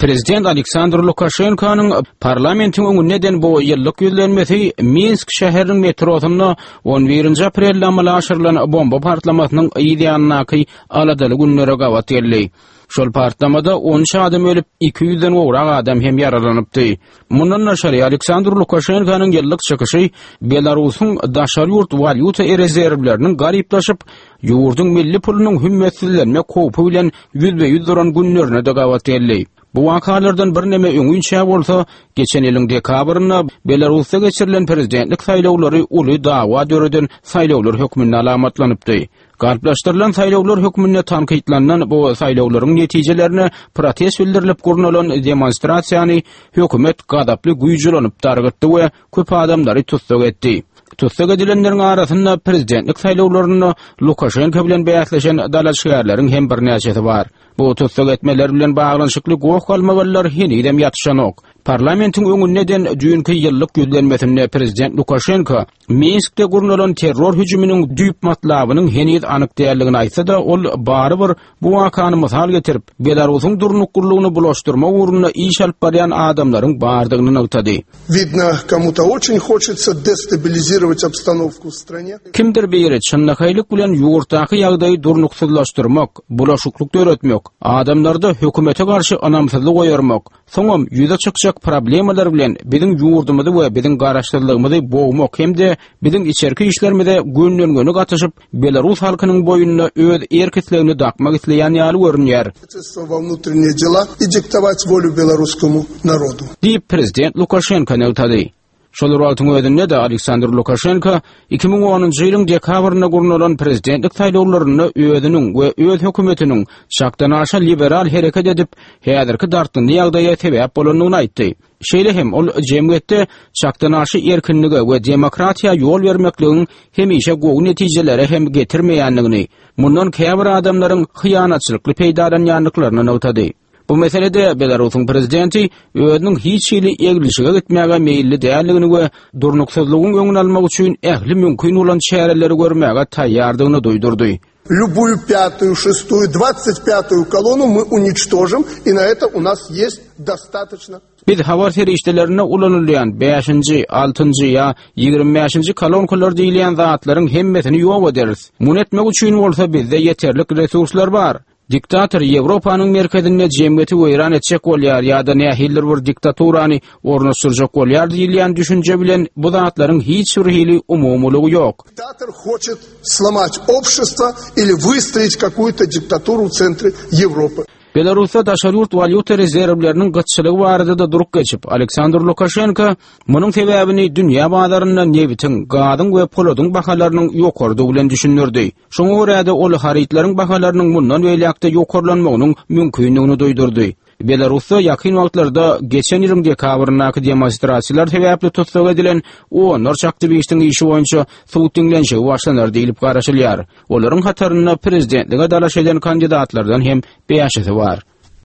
Prezident Aleksandr Lukaşenkonyň parlamentiň öňünde eden bu ýyllyk ýüzlenmesi Minsk şäheriniň metrosynda on birinji aprelde amala aşyrylan bomba partlamasynyň yz ýanyndaky aladaly günlere gabat geldi. Şol partlamada 13 adam ölüp, 200-den gowrak adam hem ýaralanypdy. Mundan daşary, Aleksandr Lukaşenkonyň ýyllyk çykyşy Belarusyň daşary ýurt walýuta rezerwleriniň garyplaşyp, ýurduň milli pulunyň hümmetsizlenmek howpy bilen ýüzbe-ýüz duran günlerine-de gabat geldi. Bu wakalardan birneme öňinçä bolsa, geçen ýylyň dekabrynda Belarusda geçirilen prezidentlik saýlawlary uly dawa döreden saýlawlar hökmünde alamatlanypdy. Galplaşdyrylan saýlawlar hökmünde tankytlanylan bu saýlawlaryň netijelerine protest bildirilip gurnalan demonstrasiýany hökümet gazaply güýç ulanyp dargytdy we köp adamlary tussag etdi. Tussag edilenleriň arasynda prezidentlik saýlawlarynda Lukaşenko bilen bäsleşen dalaşgärleriň hem birnäçesi bar. Bu tussag etmeler bilen baglanyşykly goh-galmagallar henizem ýatyşanok. Parlamentiň öňünde eden düýnki ýyllyk ýüzlenmesinde prezident Lukaşenko Minskde gurnalan terror hüjüminiň düýp matlabynyň heniz anyk däldigini aýtsa-da, ol barybir bu wakany mysal getirip, Belarusyň durnuklylygyny bulaşdyrmak ugrunda iş alyp barýan adamlaryň bardygyny nygtady. Widno, komu-to oçen hoçetsa destabilizirowat obstanowku w strane. Kimdir biri çynlakaýlyk bilen ýurtdaky ýagdaýy durnuksyzlaşdyrmak, bulaşyklyk döretmek, adamlarda hökümete garşy ynamsyzlyk oýarmak, Soňam ýüze çykjak problemalar bilen biziň ýurdumyzy we biziň garaşsyzlygymyzy bogmak hem-de biziň içerki işlerimize gönden-göni gatyşyp, belarus halkynyň boýnuna öz erk-islegini dakmak isleýän ýaly görünýär. Diýip, prezident Lukaşenko nygtady. Şol bir wagtyň özünde-de Aleksandr Lukaşenko 2010-njy ýylyň dekabrynda gurnalan prezidentlik saýlawlarynda özüniň we öz hökümetiniň çakdanaşa liberal hereket edip, häzirki dartgynly ýagdaýa sebäp bolandygyny aýtdy. Şeýle hem ol jemgyýetde çakdanaşa erkinlige we demokratiýa ýol bermekligiň hemişe gowy netijelere hem getirmeýändigini, mundan käbir adamlaryň hyýanatçylykly peýdalanýandyklaryny nygtady. Bu meselede Belarusyň prezidenti özüniň hiç hili eglişige gitmäge meýilli däldigini we durnuksyzlygyň öňüni almak üçin ähli mümkin bolan çäreleri görmäge taýýardygyny duýdurdy. Lýubuýu pýatuýu, şestuýu, dwadsat pýatuýu kolonu my uniçtožim i na eto u nas ýest dostatoçno. Biz habar serişdelerinde ulanylýan bäşinji, altynjy ýa 25-nji kolonkalar diýilýän zatlaryň hemmesini ýok ederis. Muny etmek üçin bolsa bizde ýeterlik resurslar bar. Diktator Ýewropanyň merkezinde jemgyýeti weýran etjek bolýar ýa-da nähilidir bir diktaturany ornaşdyrjak bolýar diýilýän düşünje bilen bu zatlaryň hiç bir hili umumylygy ýok. Diktator hoçet slomat obşestvo ili wystroit kakuýto diktaturu w sentre Ýewropy. Belarusda daşary ýurt walýuta rezerwleriniň gytçylygy barada-da durup geçip, Aleksandr Lukaşenko munuň sebäbini dünýä bazarynda nebitiň, gazyň we poladyň bahalarynyň ýokarydygy bilen düşündirdi. Şoňa görä-de, ol harytlaryň bahalarynyň mundan beýläk-de ýokarlanmagynyň mümkindigini duýdurdy. Belarusda ýakyn wagtlarda geçen ýylyň dekabryndaky demonstrasiýalar sebäpli tussag edilen onlarça aktiwistiň işi boýunça sud diňlenişigi başlanar diýlip garaşylýar. Olaryň hatarynda prezidentlige dalaş eden kandidatlardan hem bäşisi bar.